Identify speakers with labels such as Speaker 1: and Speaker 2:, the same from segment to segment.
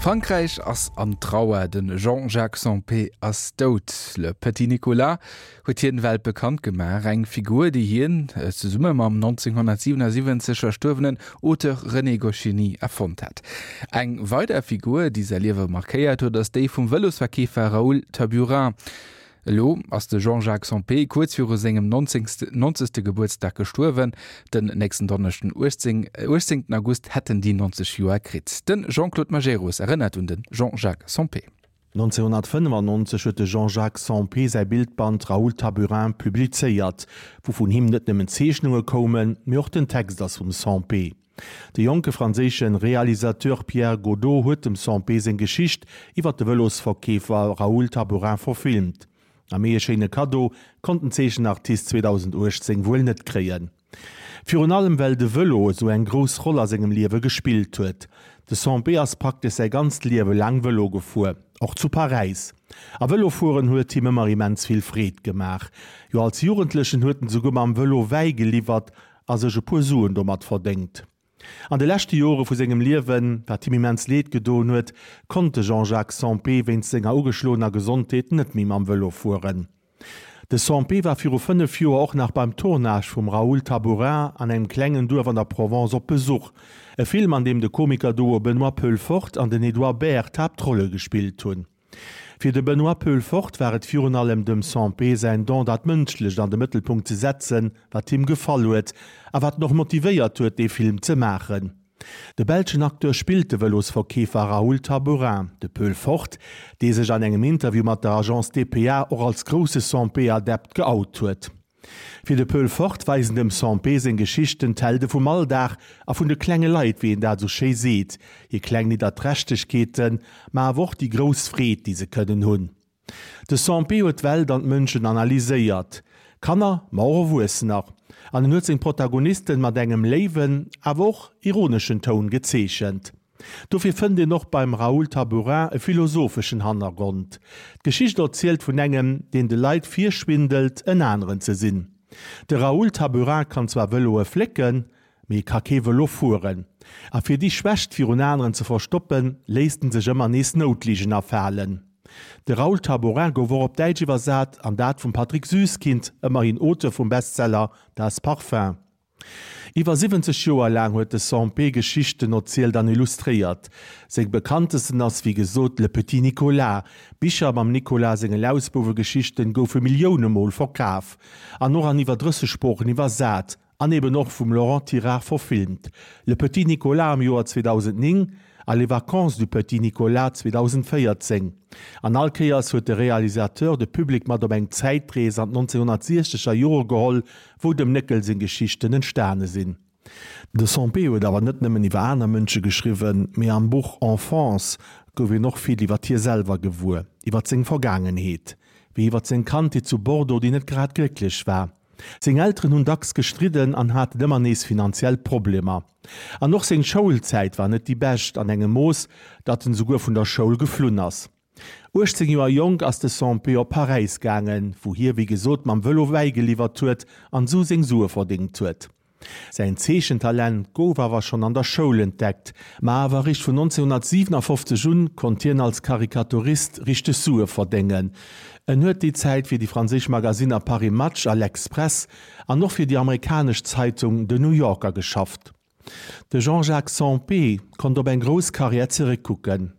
Speaker 1: Frankräich ass an Trauer, de Jean-Jacques Sempé ass dout. Le Petit Nicolas huet hien weltbekannt gemaach, eng Figur, déi hien zesumme mam 1977 verstuerwenen Auteur René Goscinny erfonnt hat. Eng weider Figur, déi säi Liewe markéiert huet, ass déi vum Vëlosverkeefer Raoul Taburin. Elo ass de Jean-Jacques Sempé kuerz viru sengem nonzegste Gebuertsdag gestuerwen. Den nächsten Donneschden, 18 August, hätt en déi 90 Joer kritt. De Jean-Claude Majerus erënnert un de Jean-Jacques Sempé.
Speaker 2: 1995 huet de Jean-Jacques Sempé säi Bildband Raoul Taburin publizéiert, wou vun him net nëmmen Zeechnunge koumen, mee och den Text ass vum Sempé. De jonke franséische Realisateur Pierre Godeau huet dem Sempé seng Geschicht iwwer de Vëlosverkeefer Raoul Taburin verfilmt. A méi e schéine Kaddo konnt den Zeechenartist 2018 wuel net kréien. Virun allem well de Vëlo esou eng grouss Roll a sengem Liewe gespillt huet. De Sempé ass praktesch säi ganzt Liewe laang Vëlo gefuer, och zu Paräis. A Vëlofueren huet him ëmmer immens vill Freed gemaach. Jo als Jugendlechen huet en souguer mam Vëlo Wäi geliwwert a sech e puer Suen domat verdéngt. An de leschte Jore vu sengem Liewen, wat him immens Leed gedoen huet, konnt de Jean-Jacques Sempé wéinst senger ugeschloener Gesondheet net méi mam Vëlo fueren. De Sempé war viru 5 Joer och nach beim Tournage vum Raoul Taburin an engem klengen Duerf an der Provence op Besuch, e Film an deem de Komiker-Duo Benoît Peulefort an den Edouard Baer d'Haaptrolle gespillt hunn. Fir de Benoît Peulefort war et virun allem dem Sempé säin Don, dat Mënschlecht an de Mëttelpunkt ze setzen, wat him gefall huet a wat en och motivéiert huet, dee Film ze maachen. De belschen Acteur spillt de Vëlosverkeefer Raoul Taburin. De Peulefort, dee sech an engem Interview mat der Agence dpa och als grousse Sempé-Adept geout huet. Fir de Peul Fort weisen dem Sempé seng Geschichten d'Helde vum Alldag a vun de klenge Leit, wéi en dat esou schéi seet, hir kleng Nidderträchtegkeeten, ma awer och déi grouss Freed, déi se kënnen hunn. De Sempé huet d'Welt an d'Mënschen analyséiert, Kanner, ma och Erwuessener, an en huet seng Protagonisten mat engem léiwen, awer och ironeschen Toun gezeechent. Dofir fënnt een och beim Raoul Taburin e philosopheschen Hannergrond. D'Geschicht erzielt vun engem, deen de Leit virschwindelt, en aneren ze sinn. De Raoul Taburin kann zwar Vëloe flécken, mee e ka kee Vëlo fueren. A fir déi Schwächt virun aneren ze verstoppen, léisst en sech ëmmer nees Noutligen afalen. De Raoul Taburin gouf och op Däitsch iwwersat, an dat vum Patrick Süskind, ëmmerhin Auteur vum Bestseller Das Parfum. Iwwer 70 Joer laang huet de Sempé Geschichten erzielt an illustréiert. Seng bekanntesten ass wéi gesot Le Petit Nicolas. Bicher mam Nicolas senge Lausbouwegeschichten goufe Millioune Mol verkaf an och an iwwer 30 Sproochen iwwersat an eben och vum Laurent Tirard verfilmt, Le Petit Nicolas am Joer 2009 a Les vacances du petit Nicolas 2014. An all Kéiers huet de Realisateur de Public mat op eng Zäitrees an d'Nonzénhunnertsiechzeger Jore geholl, wou dem Néckel seng Geschichten entstane sinn. De Sempé huet awer net nëmmen iwwer aner Mënsche geschriwwen, mee am Buch Enfance gouf een och vill iwwer hie selwer gewuer, iwwer seng Vergaangenheet, wéi iwwer seng Kandheet zu Bordeaux, déi net grad glécklech war. Seng Elteren hunn dacks gestridden an haten ëmmer nees finanziell Problemer. An och seng Schoulzäit war net déi bescht, an engem Mooss, datt en esouguer vun der Schoul geflunn ass. 18 Joer jonk ass de Sempé op Paräis gaangen, wou hie wéi gesot mam Vëlo Wäi geliwwert huet an esou seng Sue verdéngt huet. Säin Zeechentalent gouf awer schonn an der Schoul entdeckt, ma awer eréischt vun 1957 un konnt hien als Karikaturist richteg Sue verdéngen. En huet déi Zäit fir déi franséisch Magasinner Paris Match a L'Express an och fir déi amerikanesch Zeitung The New Yorker geschafft. De Jean-Jacques Sempé konnt op eng grouss Karriär zeréckkucken.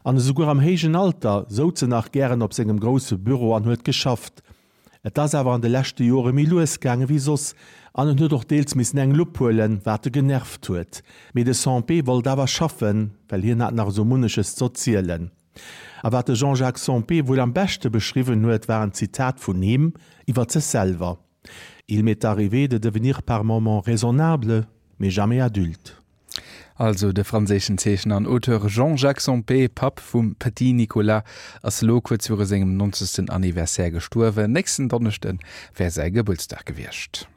Speaker 2: An esouguer am héijen Alter souz en nach gären op sengem grousse Büro an huet geschafft. Et ass awer an de leschte Jore méi lues gaange wéi soss an en huet och deels missen eng Lupp huelen, wat e genervt huet. Mee de Sempé wollt awer schaffen, well hien hat nach esou munneches z'erzielen. A wat de Jean-Jacques Sempé wuel am beschte beschriwwen huet, war en Zitat vun him iwwer sech selwer. Il m'est arrivé de devenir par moments raisonnable, mais jamais adulte.
Speaker 1: Also de franséischen Zeechner an Auteur Jean-Jacques Sempé, Papp vum Petit Nicolas, ass elo kuerz viru sengem 90. Anniversaire gestuerwen. Nächsten Donneschde wär säi Gebuertsdag gewiescht.